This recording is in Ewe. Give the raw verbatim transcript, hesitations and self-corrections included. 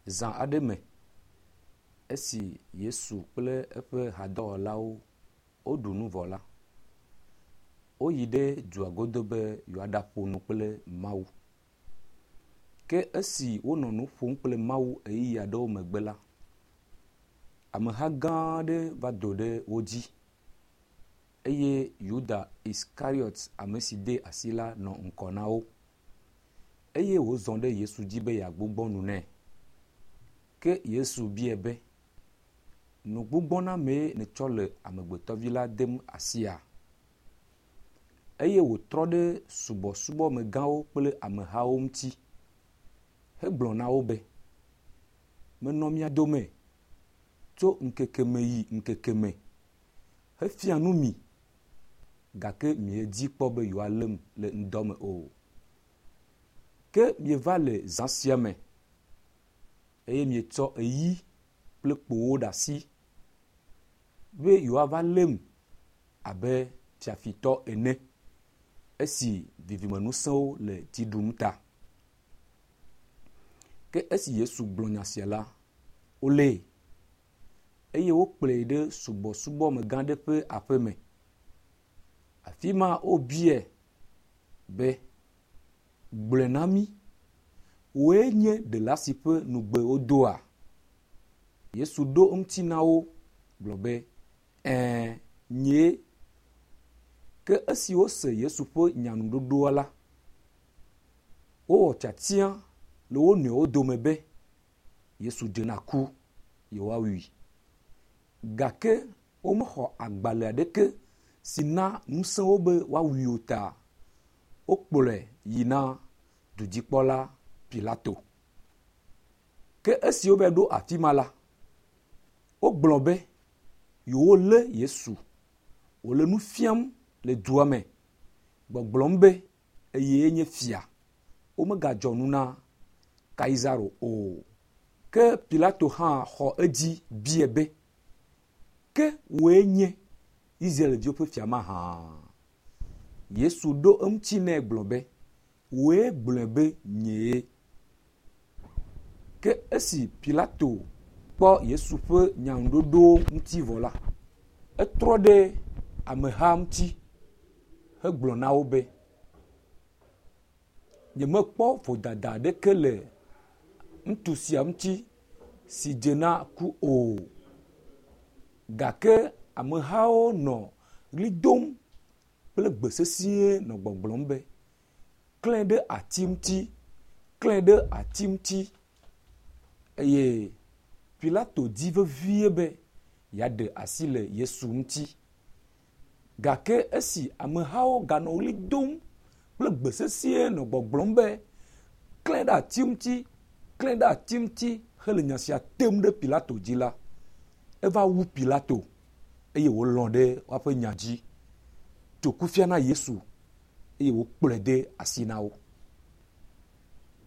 Zã aɖe me esi Yesu kple eƒe hadɔwɔlawo woɖu nu vɔ la, woyi ɖe dua godo be yewoaɖaƒo nu kple Mawu. Ke esi wonɔ nu ƒom kple Mawu ʋeyiʋi aɖewo megbe la, ameha gã aɖe va do ɖe wo dzi eye Yuda Iskariɔt, ame si dee asi la nɔ ŋgɔ na wo eye wòzɔ ɖe Yesu dzi be yeagbugbɔ nu nɛ. Ke Yesu biae be, “Nugbugbɔnamee nètsɔ le Amegbetɔvi la dem asia?” Eye wòtrɔ ɖe subɔsubɔmegãwo kple amehawo ŋuti hegblɔ na wo be, “Menɔ mia dome tso ŋkeke me yi ŋkeke me hefia nu mi gake miedi kpɔ be yewoalém le ŋdɔ me o. Ke mieva le zã sia me eye mietsɔ eyi kple kpowo ɖe asi be yewoava lém abe fiafitɔ ene esi vivimeŋusẽwo le dzi ɖum ta.” Ke esi Yesu gblɔ nya sia la, wolée eye wokplɔe ɖe subɔsubɔmegã aɖe ƒe aƒeme. Afi ma wobiae be, “Gblɔe na mí, wòe nye ɖela si ƒe nugbe wodoa?” Yesu ɖo eŋuti na wo gblɔ be, “Ɛ̃, nyee.” Ke esi wose Yesu ƒe nyanuɖoɖoa la, wowɔ tiatia le wo nɔewo dome be Yesu dze na ku, yewoawui. Gake womexɔ agbalẽ aɖeke si na ŋusẽ wo be woawui o ta, wokplɔe yi na dudzikpɔla Pilato. Ke esi wova ɖo afi ma la, wogblɔ be yewolé Yesu wòle nu fiam le dua me, gbɔgblɔm be eye nye fia. Womegadzɔ nu na Kaisaro o. Ke Pilato hã xɔ edzi biae be, “Ke wòe nye Israelviwo ƒe fia mahã?” Yesu ɖo eŋuti nɛ gblɔ be, “Wòe gblɔe be nyee.” Ke esi Pilato kpɔ Yesu ƒe nyaŋuɖoɖowo ŋuti vɔ la, etrɔ ɖe ameha ŋuti hegblɔ na wo be, “Nyemekpɔ vodada aɖeke le ŋutsu sia ŋuti si dze na ku o.” Gake amehawo nɔ ɣli dom kple gbe sesĩe nɔ gbɔgblɔm be, “Klãe ɖe ati ŋuti! Klãe ɖe ati ŋuti!” Eye Pilato di vevie be yeaɖe asi le Yesu ŋuti. Gake esi amehawo ganɔ ɣli dom kple gbe sesĩe nɔ gbɔgblɔm be, “Klãe ɖe ati ŋuti! Klãe ɖe ati ŋuti!” hele nya sia tem ɖe Pilato dzi la, eva wu Pilato eye wòlɔ̃ ɖe woƒe nya dzi, tso kufia na Yesu eye wòkplɔe de asi na wo.